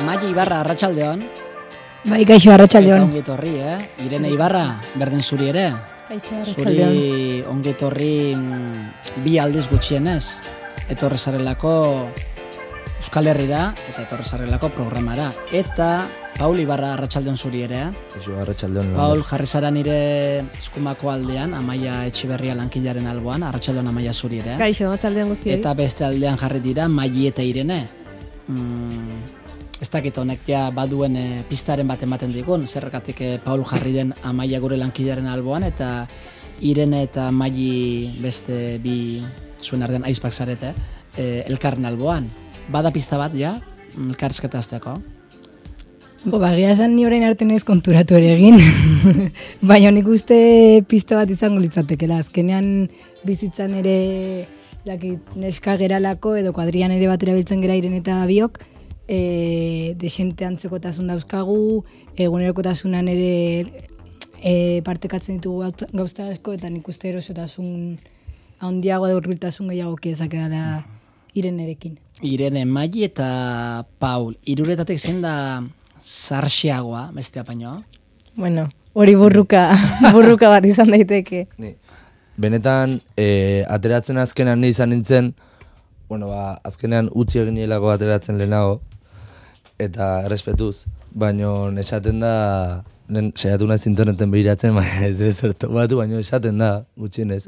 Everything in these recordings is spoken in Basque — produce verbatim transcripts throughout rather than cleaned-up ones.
Maia Ibarra, arratsaldeon. Bai, kaixo, arratsaldeon. Ongi etorri, eh? Irene Ibarra, berden zuri ere. Kaixo, arratsaldeon. Zuri ongi etorri bi aldiz gutxienez. Etorri zarelako Euskal Herrira eta etorri zarelako programara. Eta Paul Ibarra, arratsaldeon zuri ere. Kaixo, arratsaldeon. Paul, jarri zara nire eskumako aldean, Amaia Etxiberria lankilaren alboan, arratsaldeon Amaia zuri ere. Kaixo, arratsaldeon guztioi. Eta beste aldean jarri dira Maili eta Irene. Mm, ez dakit honek ja baduen e, pistaren bat ematen digun, zergatik e, Paul jarri den Amaia gure lankidaren alboan, eta Irene eta Maili beste bi zuen arden aizpak zarete, e, elkarren alboan. Bada pista bat ja, elkarrizketa azteko? Bo, bagia esan ni orain arte naiz konturatu ere egin, baina nik uste pista bat izango litzatekela. Azkenean bizitzan ere lakit, neska geralako edo kuadrian ere batera biltzen gera Irene eta biok, e, desente antzekotasun dauzkagu, egunerokotasunan ere e, partekatzen ditugu gauza asko, eta nik uste erosotasun handiago edo hurbiltasun gehiago kiezak edala Irenerekin. Irene, Maili eta Paul, hiruretatik zein da zarxiagoa, bestea painoa? Bueno, hori burruka, burruka bat izan daiteke. Ni. Benetan, e, ateratzen azkenean ni izan nintzen, bueno, ba, azkenean utzi egin nielako ateratzen lehenago, eta errespetuz, baina esaten da, lehen saiatu naiz interneten behiratzen, baina ez ez zertu batu, baina esaten da, gutxienez.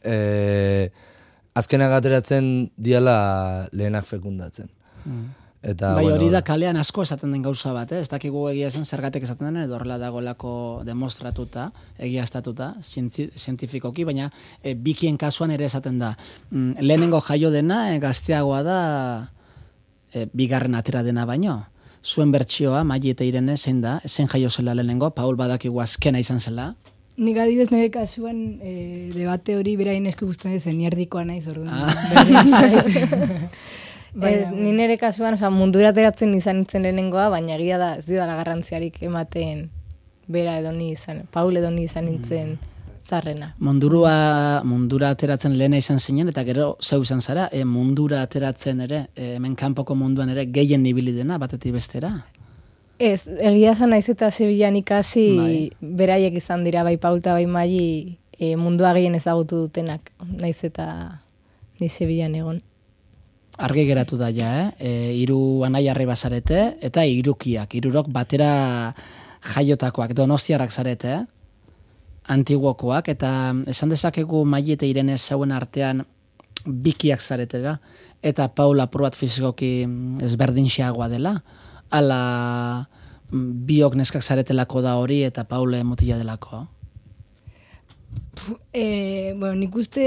E, azkenak ateratzen diala lehenak fekundatzen. Mm. Eta, bai, bueno, hori da kalean asko esaten den gauza bat, eh? Ez dakigu egia esan zergatik esaten den, edo horrela dagoelako demostratuta, egiaztatuta, zientifikoki, baina e, bikien kasuan ere esaten da. Mm, lehenengo jaio dena, e, gazteagoa da, e, bigarren atera dena baino. Zuen bertsioa, Maili eta Irene, zein da, zein jaio zela lehenengo, Paul badakigu azkena izan zela. Nik adibidez nire kasuan e, debate hori berain esku guztan zen, nierdikoa naiz orduan. Ah. Ez, ni nire kasuan, oza, mundura ateratzen izan nintzen lehenengoa, baina egia da, ez dira garrantziarik ematen bera edo ni izan, Paul edo ni izan nintzen zarrena. Mundurua, mundura ateratzen lehena izan zinen, eta gero zeu izan zara, e, mundura ateratzen ere, e, hemen kanpoko munduan ere gehien ibili dena, batetik bestera? Ez, egia esan naiz eta Sevillan ikasi bai. Beraiek izan dira, bai Paul eta bai Maili, e, mundua gehien ezagutu dutenak, naiz eta ni Sevillan egon. Argi geratu da ja, eh? E, iru anaiarri bazarete, eta irukiak, irurok batera jaiotakoak, donostiarrak zarete, eh? Antiguokoak, eta esan dezakegu Maili eta Irene zauen artean bikiak zaretela, eta Paul apur bat fizikoki ezberdinxeagoa dela, ala biok neskak zaretelako da hori, eta Paul mutila delako. E, bueno, nik uste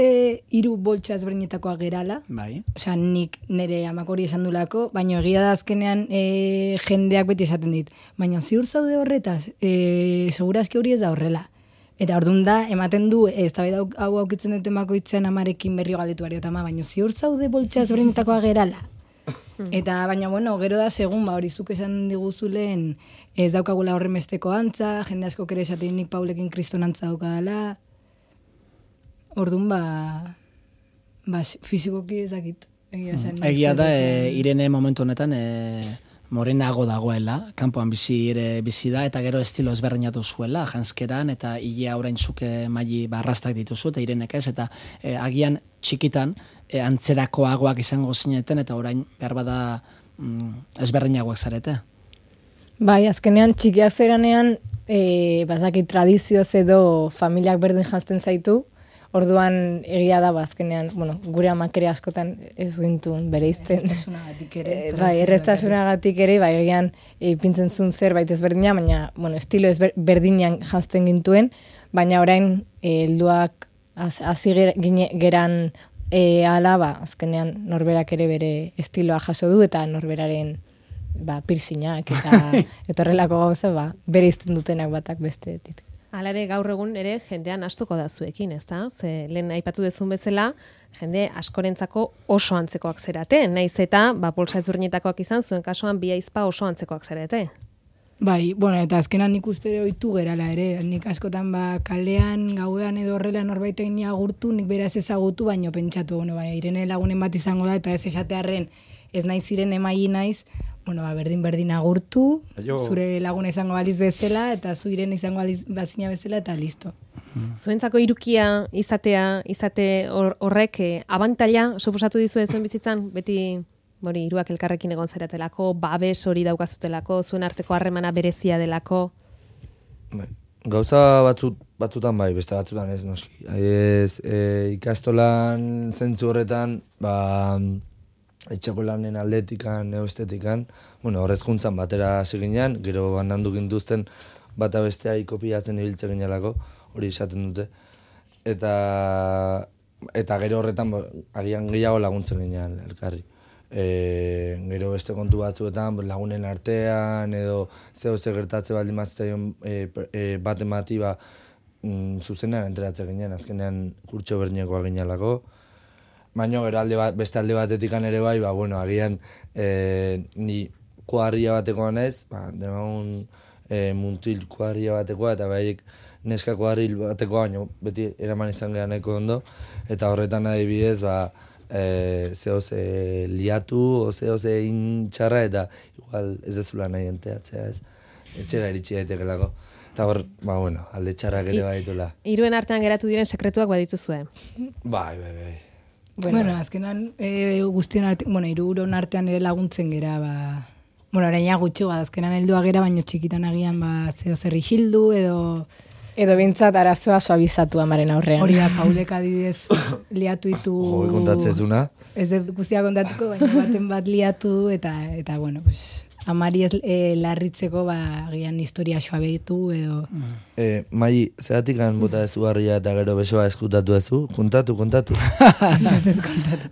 hiru boltsa ezberdinetakoa gerala. Bai. Osea, nik nire amak hori esan dulako, baina egia da azkenean e, jendeak beti esaten dit. Baina ziur zaude horretaz, e, segurazki hori ez da horrela. Eta orduan da, ematen du, ez da hau aukitzen duten bakoitzen amarekin berrio galdetu ari, ama, baina ziur zaude boltsa ezberdinetakoa gerala. Eta baina, bueno, gero da, segun, ba, hori zuk esan diguzulen, ez daukagula horren besteko antza, jende asko kere esaten nik Paulekin kriston antza daukadala. Orduan, ba, ba fizikoki ezakit. Egia, zen, mm. Egia da, e, Irene momentu honetan e, morenago dagoela, kanpoan bizi ere bizi da, eta gero estilo ezberdinatu zuela, janskeran, eta hilea orain zuke Maili barrastak dituzu, eta Irenek ez, eta e, agian txikitan e, antzerakoagoak izango zineten, eta orain behar bada mm, ezberdinagoak zarete. Bai, azkenean txikiak zeranean, e, bazaki tradizioz edo familiak berdin janzten zaitu, orduan egia da, azkenean, bueno, gure amak ere askotan ez gintuen bereizten. Erreztasunagatik ere. Bai, erreztasunagatik ere, bai, egian ipintzen zuen zerbait ezberdina, baina, bueno, estilo ezberdinan janzten gintuen, baina orain helduak hasi geran e, ala, ba, azkenean norberak ere bere estiloa jaso du, eta norberaren ba, piercingak eta eta horrelako gauza, ba, bereizten dutenak batak besteetik. Hala ere gaur egun ere jendean astuko da zuekin, ezta? Ze lehen aipatu dezun bezala, jende askorentzako oso antzekoak zerate, naiz eta ba polsa ezberdinetakoak izan, zuen kasuan bi aizpa oso antzekoak zerate. Bai, bueno, eta azkenan nik uste ohitu gerala ere, nik askotan ba kalean, gauean edo horrela norbaitek ni agurtu, nik beraz ezagutu, baino pentsatu, bueno, bai, Irene lagunen bat izango da, eta ez esatearren ez naiz Irene Maili naiz, bueno, ba, berdin-berdin agurtu, Aio. zure laguna izango baliz bezala, eta zu Irene izango baliz bazina bezala, eta listo. Zuentzako irukia izatea, izate hor- horrek eh, abantaila suposatu dizue zuen bizitzan, beti hori hiruak elkarrekin egon zaratelako, babes hori daukazutelako, zuen arteko harremana berezia delako. Bai. Gauza batzut, batzutan bai, beste batzutan ez noski. Ez, e, ikastolan zentzu horretan, ba, etxeko lanen aldetikan, neostetikan, bueno, horrezkuntzan batera hasi ginean, gero banandu gintuzten bata bestea ikopiatzen ibiltze ginelako, hori esaten dute. Eta, eta gero horretan ba, agian gehiago laguntzen ginean elkarri. E, gero beste kontu batzuetan lagunen artean edo zeo ze gertatze baldin mazitzaion e, e, bat emati ba, mm, zuzenean enteratzen ginen, azkenean kurtso berdinekoa ginelako. Baina gero alde bat, beste alde batetik ere bai, ba, bueno, agian e, ni kuadria batekoa naiz, ba, demagun e, muntil kuadria batekoa eta baiek neska kuadril batekoa, baina beti eraman izan gehan nahiko ondo, eta horretan adibidez, ba, E, zeo ze liatu, o zeo ze intxarra, eta igual ez dezula nahi enteatzea, ez? Etxera iritsi daitekelako. Eta hor, ba, bueno, alde txarrak ere baditula. Hiruen artean geratu diren sekretuak badituzue. Bai, bai, bai. Bueno, bueno azkenan e, guztien artean, bueno, hiruron artean ere laguntzen gera, ba... Bueno, oraina gutxo, ba, azkenan heldua gera, baino txikitan agian, ba, zeo zer isildu, edo... Edo bintzat arazoa suabizatu amaren aurrean. Hori da, Paulek adidez liatu ditu... Jo, kontatzez duna. Ez dut guztia kontatuko, baina baten bat liatu du, eta, eta bueno, pues, amari ez e, larritzeko, ba, agian historia suabetu, edo... E, Mai, zeratik han bota dezu garria eta gero besoa eskutatu dezu? Kontatu, kontatu.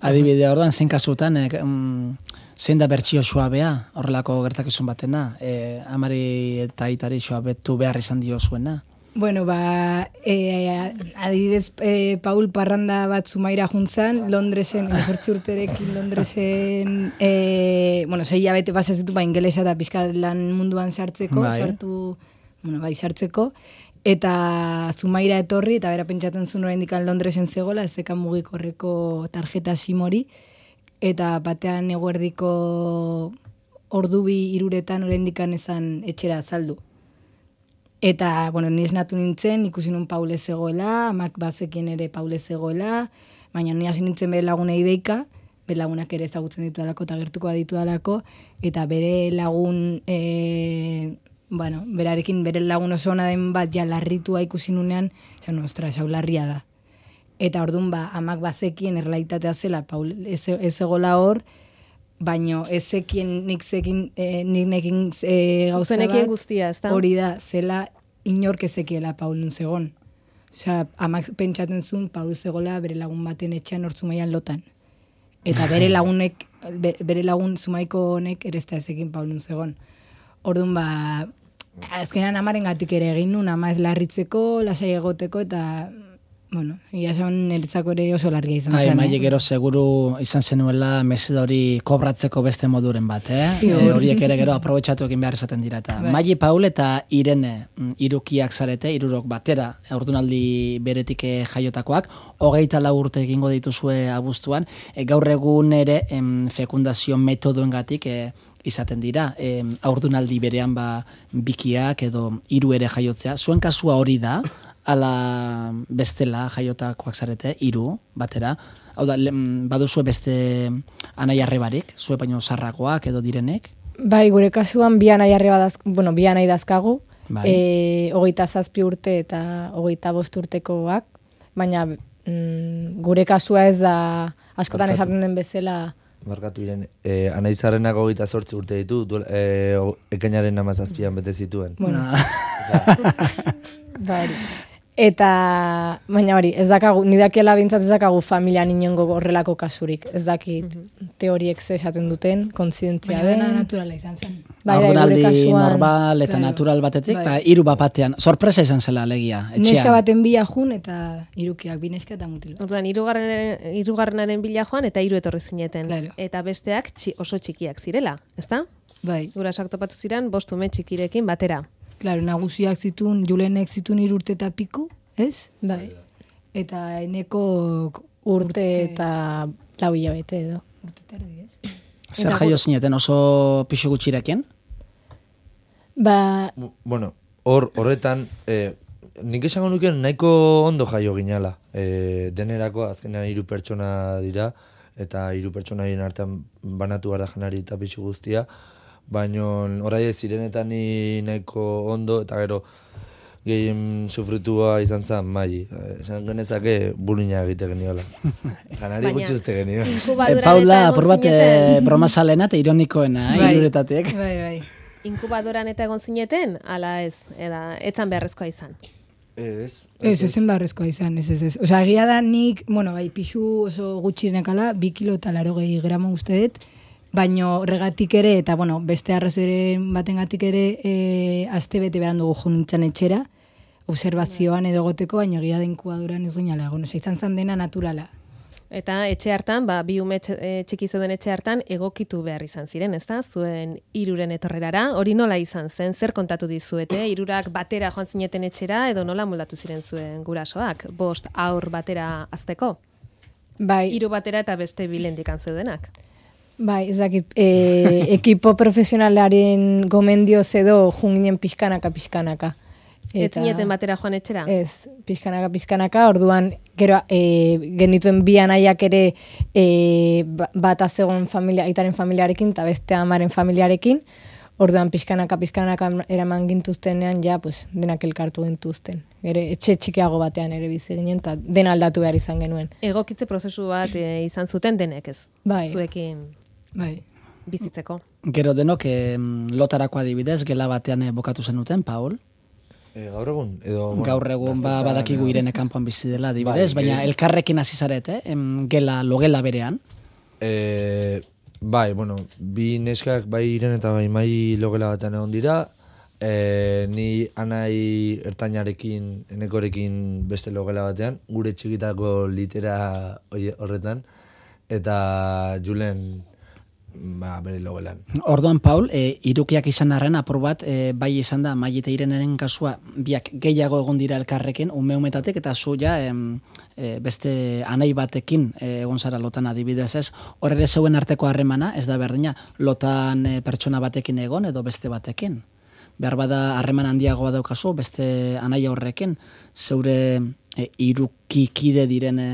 Adibide, orduan, zein kasutan, eh, mm, zein da bertsio suabea, horrelako gertakizun batena, eh, amari eta aitari suabetu behar izan dio zuena. Bueno, ba, e, adibidez, e, Paul parranda bat Zumaira juntzan, Londresen, emezortzi urterekin Londresen, e, bueno, sei hilabete pasazitu, ba, ingelesa eta pixka lan munduan sartzeko, Bai. sartu, bueno, bai, sartzeko, eta Zumaira etorri, eta bera pentsatzen zuen oraindik Londresen zegoela, ez zekan mugikorreko tarjeta simori, eta batean eguerdiko ordubi iruretan oraindik ezan etxera azaldu. Eta, bueno, ni esnatu nintzen, ikusi nun Paule zegoela, amak bazekien ere Paule zegoela, baina ni hasi nintzen bere lagunei deika, bere lagunak ere ezagutzen ditu dalako eta gertuko aditu dalako, eta bere lagun, e, bueno, berarekin bere lagun oso ona den bat ja larritua ikusi nunean, esan, ostra, hau larria da. Eta orduan, ba, amak bazekien errealitatea zela, Paul ez, ez egola hor, baino ezekien nik zekin, e, nik nekin e, gauza Zuzenekien bat, guztia, ez da? hori da, zela inork ezekiela Paul nun zegon. Osea, amak pentsatzen zuen Paul zegoela bere lagun baten etxean hor Zumaian lotan. Eta bere lagunek, be- bere lagun Zumaiko honek ere ez da ezekin Paul nun zegon. Orduan, ba, azkenan amaren gatik ere egin nun, ama ez larritzeko, lasai egoteko, eta, bueno, ia esan niretzako ere oso larria izan Ai, zen. Maile eh? gero seguru izan zenuela meseda hori kobratzeko beste moduren bat, eh? Ziur. E, horiek ere gero aprobetxatu egin behar esaten dira. Eta Bai. Maile Paul eta Irene mm, hirukiak zarete, hirurok batera, ordunaldi beretik eh, jaiotakoak, hogeita lau urte egingo dituzue abuztuan, e, gaur egun ere em, fekundazio metodoengatik eh, izaten dira, e, aurdunaldi berean ba bikiak edo hiru ere jaiotzea. Zuen kasua hori da, ala bestela jaiotakoak zarete, hiru batera. Hau da, lem- baduzue beste anai arrebarik, zue baino zarrakoak edo direnek? Bai, gure kasuan bi anai arreba daz, bueno, bi anai dazkagu, Bai. e, hogeita zazpi urte eta hogeita bost urtekoak, baina mm, gure kasua ez da askotan Barkatu. esaten den bezala. Barkatu Irene, e, anaizarrenak hogeita zortzi urte ditu, duel, e, o- ekainaren amazazpian bete zituen. Bueno. Na- Bai. Eta, baina hori, ez dakagu, ni dakiela bintzat ez dakagu familian inongo horrelako kasurik. Ez dakit teoriek ze esaten duten, kontzientzia Baina dena den. naturala izan zen. Bai, bai, gure Ordunaldi kasuan, normal eta claro. natural batetik, Bai. ba, hiru bat batean. Sorpresa izan zela alegia, etxean. Neska baten bila jun eta irukiak, bi neska eta mutil bat. Orduan, hirugarren hirugarrenaren bila joan eta hiru etorri zineten. Claro. Eta besteak txi, oso txikiak zirela, ezta? Bai, Gurasoak topatu ziren bost ume txikirekin batera. claro, nagusiak zitun, Julenek zitun hiru urte eta piku, ez? Bai, Eta eneko urte eta lau hilabete edo. urte eta erdi, ez? Zer jaio zineten oso pixu gutxirekin? Ba, Bueno, hor horretan, eh, nik esango nuke nahiko ondo jaio ginala. Eh, denerako azkenean hiru pertsona dira, eta hiru pertsonaien artean banatu gara janari eta pixu guztia, baina orai zirenetan ni nahiko ondo, eta gero gehien sufritua izan zen mai. Esan genezake bulina egite geniola. Janari Baina- gutxi uste genio. E, Inkubadoran Paula, eta apur egon bat zineten? eh, bromazalena eta ironikoena, eh, Bai. hiruretatik. Bai, bai. Inkubadoran eta egon zineten, ala ez, eda, etzan beharrezkoa izan. Ez, Ez, ezen barrezkoa izan, ez, ez, ez. Osa, egia da nik, bueno, bai, pixu oso gutxirenekala, bi kilo eta laro gehi gramo uste dut, baino horregatik ere, eta bueno, beste arrazoiren batengatik ere, e, aste bete beran dugu jo nintzen etxera, observazioan edo goteko, baino egia da inkubadoran ez ginala, egon, osa, izan zan dena naturala. Eta etxe hartan, ba, bi ume etxe- e, txiki zeuden etxe hartan egokitu behar izan ziren, ezta? Zuen hiruren etorrerara, hori nola izan zen, zer kontatu dizuete? Hirurak batera joan zineten etxera edo nola moldatu ziren zuen gurasoak? Bost aur batera azteko? bai, Hiru batera eta beste bilendikan zeudenak. bai, ez dakit, e, ekipo profesionalaren gomendioz edo junginen pixkanaka, pixkanaka. Ez zineten batera joan etxera? Ez, pixkanaka, pixkanaka, orduan, gero, e, genituen bi anaiak ere e, ba- bat azegon familia, aitaren familiarekin, eta beste amaren familiarekin, orduan pixkanaka, pixkanaka eraman gintuztenean, ja, pues, denak elkartu gintuzten. Gero, etxe txikiago batean ere bizi ginen, eta dena aldatu behar izan genuen. Egokitze prozesu bat e, izan zuten denek ez? Bai. Zuekin Bai. bizitzeko. Gero denok em, lotarako adibidez, gela batean eh, bokatu zenuten, Paul? E, gaur egun, edo... bueno, Gaur egun ba, gaztetan, badakigu edo- Irene kanpoan bizi dela adibidez, Bai, baina ge- elkarrekin hasi zarete, em, gela, logela berean. E, bai, bueno, bi neskak bai Iren eta bai mai logela batean egon dira, e, ni anai ertainarekin, enekorekin beste logela batean, gure txikitako litera oie, horretan, eta Julen ba, bere logelan. Orduan, Paul, e, irukiak izan arren, apur bat, e, bai izan da, mai eta Ireneren kasua, biak gehiago egon dira elkarrekin, ume-umetatik, eta zu ja, em, e, beste anai batekin e, egon zara lotan adibidez ez, hor ere zeuen arteko harremana, ez da berdina, lotan e, pertsona batekin egon, edo beste batekin. Behar bada harreman handiagoa daukazu, beste anai horrekin, zeure e, irukikide diren e,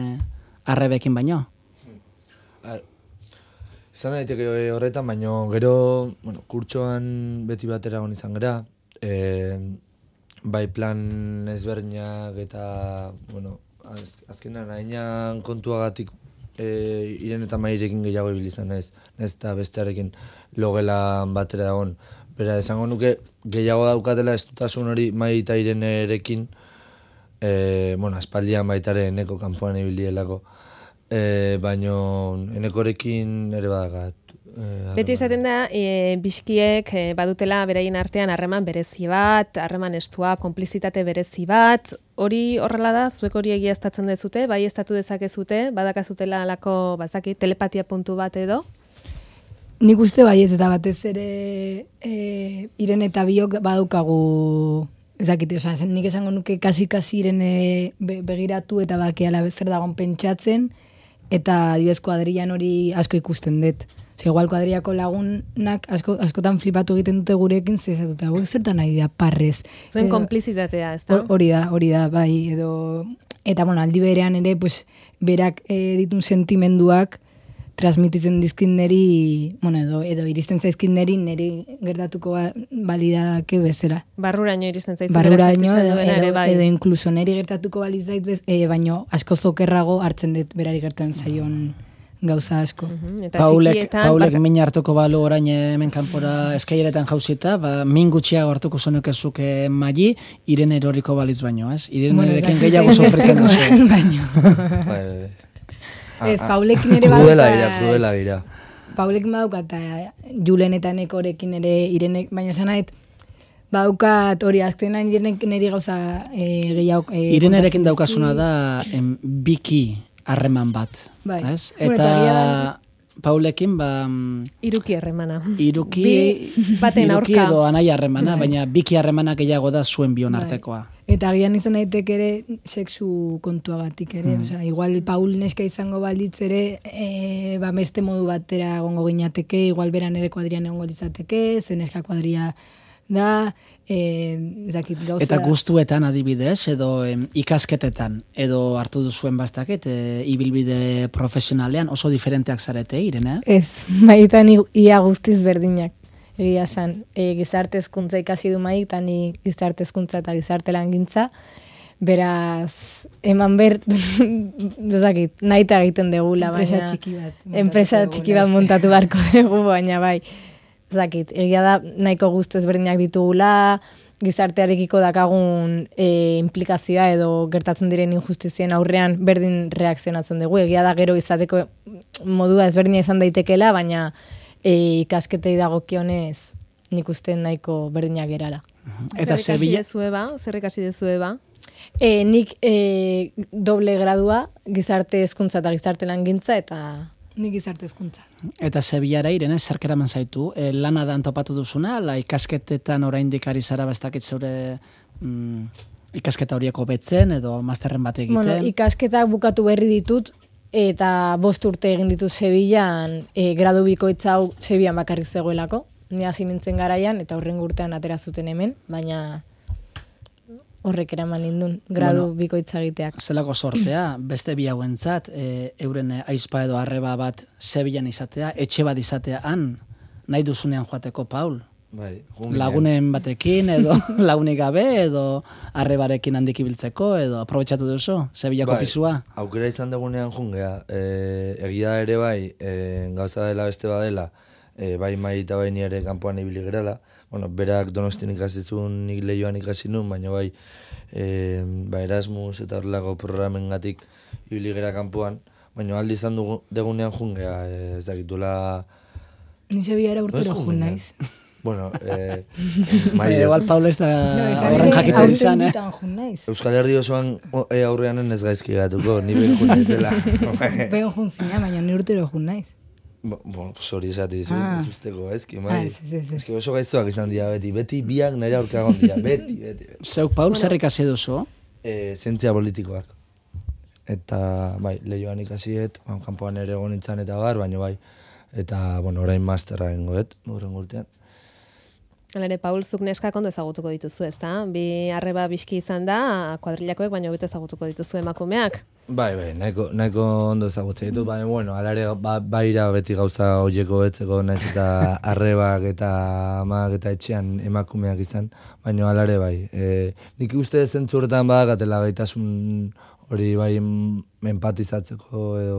arrebekin baino. A, izan daiteke eh, horretan, baino gero, bueno, kurtsoan beti batera egon izan gera, e, bai plan ezberdinak eta, bueno, az, azkenan hainan kontuagatik e, Iren eta Mairekin gehiago ibili izan naiz, naiz eta bestearekin logelan batera egon. Bera, esango nuke gehiago daukatela estutasun hori Mai eta Irenerekin, e, bueno, aspaldian baitare eneko kanpoan ibilielako. E, baino enekorekin ere badakat. E, Beti esaten da, e, biskiek e, badutela beraien artean harreman berezi bat, harreman estua, konplizitate berezi bat, hori horrela da, zuek hori egiaztatzen dezute, bai estatu dezakezute, badakazutela alako, bazaki, telepatia puntu bat edo? Nik uste baiez eta batez ere e, Irene eta biok badaukagu, ez dakit, oza, nik esango nuke kasi-kasi Irene be, begiratu eta bakiala zer dagoen pentsatzen, eta adibidez kuadrian hori asko ikusten dut. Oza, igual kuadriako lagunak asko, askotan flipatu egiten dute gurekin, zezatuta, hauek zertan nahi dira parrez. Zuen Edo- konplizitatea, ez da? Hor- Hori da, hori da, bai, edo... Eta, bueno, aldi berean ere, pues, berak e, ditun sentimenduak transmititzen dizkin neri, bueno, edo, edo iristen zaizkin neri, neri gertatuko ba, balidake bezala. Barruraino iristen zaizu Barruraino sentitzen edo, duena edo, ere bai. edo inkluso neri gertatuko balizait, bez, e, baino asko zokerrago hartzen dut berari gertan zaion gauza asko. Mhm, Eta Paulek, txikietan, Paulek baka- min hartuko balu orain hemen kanpora eskaileretan jauzita, ba, min gutxiago hartuko zenukezuke Mai, Irene eroriko baliz baino, ez? Irenerekin gehiago sofritzen duzu. Baino. Bai, bai. Ez, Paulekin ere Krudela badauka- gira, krudela gira. Paulekin badauka eta Julen eta Nekorekin ere Irenek, baina esan nahet, badaukat hori azkenan Irenek niri gauza e, gehiago... E, Irenerekin kontatzen daukazuna dizkit. da em, biki harreman bat, Bai. ez? Bueno, Eta eta agian- Paulekin, ba... mm, Iruki harremana. Iruki, Bi baten iruki aurka. edo anaia harremana, baina biki harremana gehiago da zuen bion artekoa. Eta agian izan daiteke ere sexu kontuagatik ere, osea, igual Paul neska izango balitz ere, e, ba beste modu batera egongo ginateke, igual beran ere kuadrian egongo litzateke, ze neska kuadria da, eh, ez dakit gauza. Eta gustuetan adibidez, edo em, ikasketetan, edo hartu duzuen bastakit, e, ibilbide profesionalean oso diferenteak zarete, Irene? Ez, maietan i- ia guztiz berdinak. Egia esan, e, gizarte hezkuntza ikasi du maik, eta ni gizarte hezkuntza eta gizarte langintza, beraz, eman ber, dezakit, nahi eta egiten degula, Enpresa baina... txiki bat montatu Enpresa degula, txiki bat eske. montatu beharko dugu, baina bai, zakit, egia da nahiko gustu ezberdinak ditugula, gizartearekiko dakagun e, implikazioa edo gertatzen diren injustizien aurrean berdin reakzionatzen dugu. Egia da gero izateko modua ezberdina izan daitekela, baina e, ikasketei dagokionez nik uste nahiko berdinak gerala. Eta zer ikasi Sevilla, dezue ba? Zer ikasi dezue ba? E, nik e, doble gradua, gizarte hezkuntza eta gizarte langintza, eta Nik gizarte hezkuntza. eta Sevillara, Irene, zerk eraman zaitu? E, lana da topatu duzuna, la ikasketetan oraindik ari zara bastakit zeure mm, ikasketa horiek hobetzen, edo masterren bat egiten? bueno, ikasketak bukatu berri ditut, eta bost urte egin ditut Sevillan, e, gradu bikoitza hau Sevillan bakarrik zegoelako. Ni hasi nintzen garaian, eta horren urtean atera zuten hemen, baina horrek eraman nindun, gradu Bueno, bikoitza egiteak. Zelako sortea, beste bi hauentzat, e, euren aizpa edo arreba bat Sevillan izatea, etxe bat izatea han, nahi duzunean joateko, Paul? Bai, junginean. Lagunen batekin, edo lagunik gabe, edo arrebarekin handik ibiltzeko, edo aprobetxatu duzu, Sevillako Bai, pisua? Aukera izan dugunean jungea, e, egia ere bai, e, gauza dela beste badela, e, bai mai eta bai ni ere kanpoan ibili gerala. Bueno, berak Donostin ikasi zuen, nik Leioan ikasi nun, baina bai, e, ba Erasmus eta horrelako programengatik ibili gera kanpoan, baina aldi izan dugu, degunean jungea, e, ez dakitula... Ni Sevillara urtero Noiz jun jungea? naiz. Bueno, e, mai Eh, ez. igual Paul ez da izan horren ere, jakiten aurten izan, eh? bitan jun naiz. Euskal Herri osoan o, e, aurrean ez gaizki gatuko, ni behin jun naizela. Ben jun zina, baina ni urtero jun naiz. Bo, bo, sorry esati dizu, Ah. ez usteko, ezki, Ah, mai. ez, ez, ez. Eski oso gaiztuak izan dira beti, beti biak nire aurka egon dira, beti, beti. beti. Zeuk, Paul, zer ikasi duzu? E, zientzia politikoak. Eta, bai, Leioan ikasiet, ba, kanpoan ere egon nintzen eta bar, baina bai, eta, bueno, orain masterra egingoet, urren urtean. Hala ere, Paul, zuk neskak ondo ezagutuko dituzu, ezta? Bi arreba biski izan da, kuadrilakoek, baina hobeto ezagutuko dituzu emakumeak. Bai, bai, nahiko, nahiko ondo ezagutzen ditut, baina, bueno, alare, ba, baira beti gauza hoieko betzeko, naiz eta arrebak eta amak eta etxean emakumeak izan, baina alare bai. E, nik uste zentzu horretan badakatela gaitasun hori bai em- empatizatzeko edo...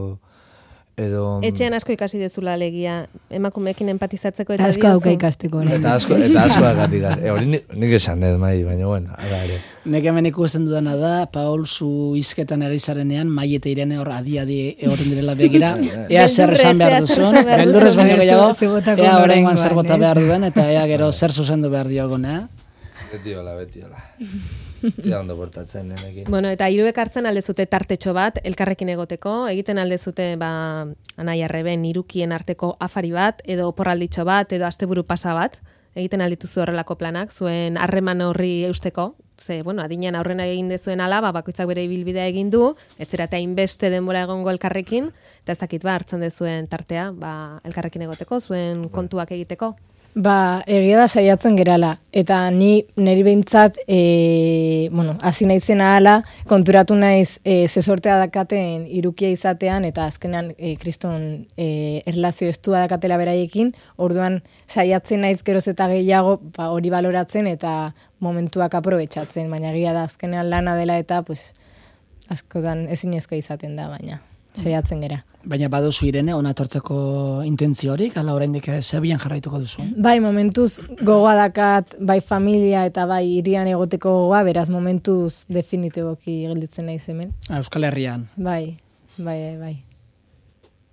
edo Etxean asko ikasi dezula alegia, emakumeekin empatizatzeko eta Asko dauka diozu. ikasteko orain. Eta asko, eta asko dakatik az. E, hori nik, nik esan dut, mai, baina, bueno, ala ere. Nek hemen ikusten dudana da, Paul, zu izketan ari zarenean, Mai eta Irene hor adi-adi egoten direla begira, ea zer Beldurrez, esan behar ea zer duzun, esan behar beldurrez duzun. baino gehiago, Ze botako ea horrengoan oraingoan, zer bota ez? behar duen, eta ea gero zer zuzendu behar diogun, eh? Beti hola, beti hola. Beti ondo portatzen nenekin. Bueno, eta hiruek hartzen aldezute tartetxo bat, elkarrekin egoteko, egiten aldezute ba, anai arreben irukien arteko afari bat, edo oporralditxo bat, edo asteburu pasa bat, egiten aldituzu horrelako planak, zuen harreman horri eusteko, ze, bueno, adinean aurrena egin dezuen ala, ba, bakoitzak bere ibilbidea egin du, etzera eta inbeste denbora egongo elkarrekin, eta ez dakit ba, hartzen dezuen tartea, ba, elkarrekin egoteko, zuen kontuak egiteko. Ba, egia da saiatzen gerala, eta ni niri behintzat, e, bueno, hasi naizena hala, konturatu naiz e, ze sortea dakaten irukia izatean, eta azkenean e, kriston e, erlazio estua dakatela beraiekin, orduan saiatzen naiz geroz eta gehiago ba, hori baloratzen eta momentuak aprobetxatzen, baina egia da azkenean lana dela eta pues, askotan ezinezko izaten da, baina saiatzen gera. Baina baduzu Irene, ona etortzeko intentziorik, ala oraindik Sevillan jarraituko duzu. Bai, momentuz gogoa dakat, bai familia eta bai irian egoteko gogoa, beraz momentuz definitiboki gelditzen naiz hemen. Ah, Euskal Herrian. Bai, bai, bai.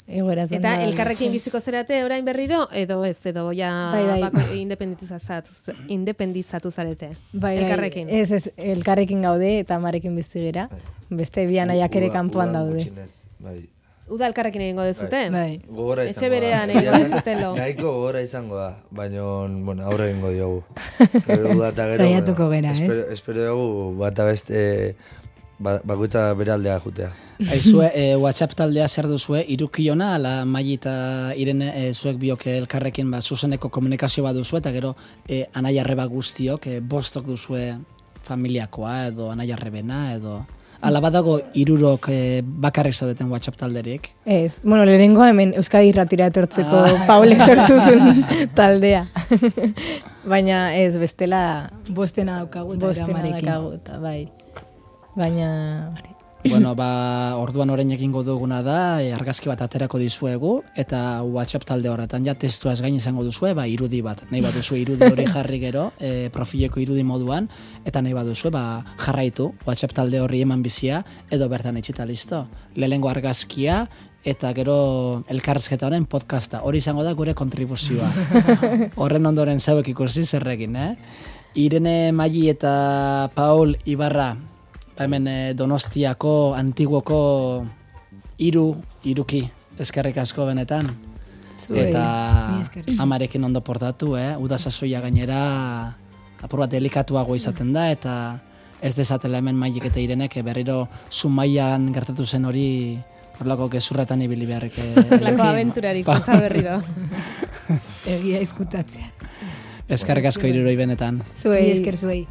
Egoeraz Eta banda- elkarrekin biziko zerate orain berriro, edo ez, edo ja Bai, bai. bako- independizatu, independizatu zarete. Bai, bai, elkarrekin. ez, ez, elkarrekin gaude eta amarekin bizi gera. Beste bi anaiak ere Uda- kanpoan udan daude. gutxienez, bai, Uda elkarrekin egingo dezute. Bai. Gogora izango Etxe berean da. egingo Egia esan, dezutelo. Nahiko gogora izango da, baina, bueno, aurre egingo diogu. Gero uda eta gero, Saiatuko gera, ez? espero, espero dugu bata beste ba, bakoitza bere aldea jutea. Aizue, e, WhatsApp taldea zer duzue, irukiona, ala Maili eta Irene e, zuek biok elkarrekin ba, zuzeneko komunikazio bat duzu, eta gero e, anaiarreba guztiok, e, bostok duzue familiakoa, edo anaiarrebena, edo... Ala badago irurok e, bakarrik zaudeten WhatsApp talderik. Ez, bueno, lehenengoa hemen Euskadi Irratira etortzeko Paulek sortu zuen taldea. Baina ez, bestela Bostena daukagu eta bostena gramarekin. dakagu, eta bai. Baina... Bueno, ba, orduan orain egingo duguna da, e, argazki bat aterako dizuegu, eta WhatsApp talde horretan ja testua ez gain izango duzue, ba, irudi bat. Nahi bat duzue irudi hori jarri gero, e, profileko irudi moduan, eta nahi bat duzue, ba, jarraitu, WhatsApp talde horri eman bizia, edo bertan etxita listo. Lehengo argazkia, eta gero elkarrezketa honen podcasta. Hori izango da gure kontribuzioa. Horren ondoren zauek ikusi zerrekin, eh? Irene, Maili eta Paul Ibarra, hemen eh, Donostiako, Antiguoko hiru iruki, eskerrik asko benetan. Zuei, Eta mi esker. amarekin ondo portatu, eh? Uda sasoia gainera apur bat delikatuago izaten da, eta ez dezatela hemen Mailik eta Irenek berriro Zumaian gertatu zen hori horlako gezurretan ibili beharrik. Lako abenturarik, osa berriro. Egia izkutatzea. Eskerrik asko hiruroi benetan. Mi Zuei, esker zuei.